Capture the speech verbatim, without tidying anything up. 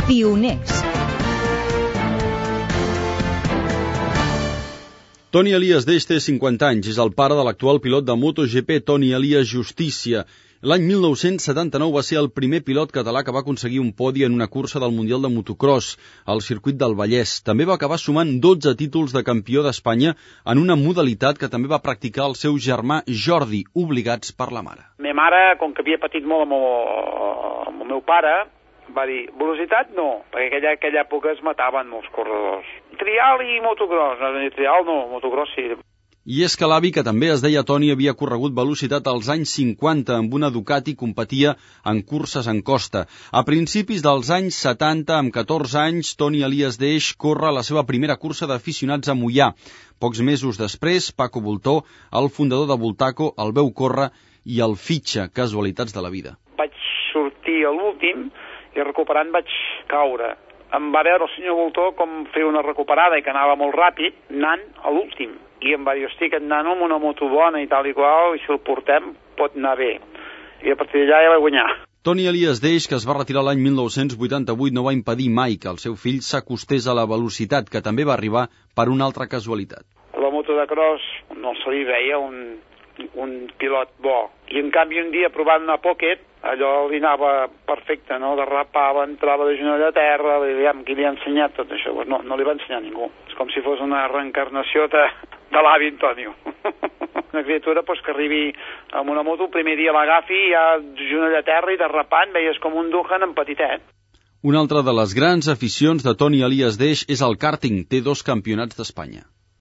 Pioners. Toni Elias Deix té cinquanta anys, és el pare de l'actual pilot de MotoGP Toni Elias Justícia. L'any mil nou-cents setanta-nou va ser el primer pilot català que va aconseguir un podi en una cursa del Mundial de Motocross, al circuit del Vallès. També va acabar sumant dotze títols de campió d'Espanya en una modalitat que també va practicar el seu germà Jordi, obligats per la mare. Ma mare, com que havia patit molt amb el, amb el meu pare, va dir, velocitat no, perquè aquella, aquella època es mataven molts corredors. Trial i motocross, no, trial no, motocross sí. I és que l'avi, que també es deia Toni, havia corregut velocitat als anys cinquanta amb una Ducati i competia en curses en costa. A principis dels anys setanta, amb catorze anys, Toni Elias Deix corre la seva primera cursa d'aficionats a Moià. Pocs mesos després, Paco Bultó, el fundador de Bultaco, el veu córrer i el fitxa, casualitats de la vida. Vaig sortir a l'últim i recuperant vaig caure. Em va veure el senyor Bultó com fer una recuperada i que anava molt ràpid, anant a l'últim. I em va dir, hosti, aquest nano amb una moto bona i tal i qual, i si el portem pot anar bé. I a partir d'allà ja va guanyar. Toni Elias Deix, que es va retirar l'any mil nou-cents vuitanta-vuit, no va impedir mai que el seu fill s'acostés a la velocitat, que també va arribar per una altra casualitat. La moto de cross no se li veia un, un pilot bo. I en canvi un dia provant una Pocket, allò li anava perfecte, no? Derrapava, entrava de genoll a terra, diguem, qui li ha ensenyat tot això? Pues no, no li va ensenyar ningú. És com si fos una reencarnació de, de l'avi Antonio. Una criatura pues, que arribi amb una moto, el primer dia l'agafi, ja genoll a terra i derrapant, veies com un Duhan en petitet. Una altra de les grans aficions de Toni Elias Deix és el kàrting. Té dos campionats d'Espanya.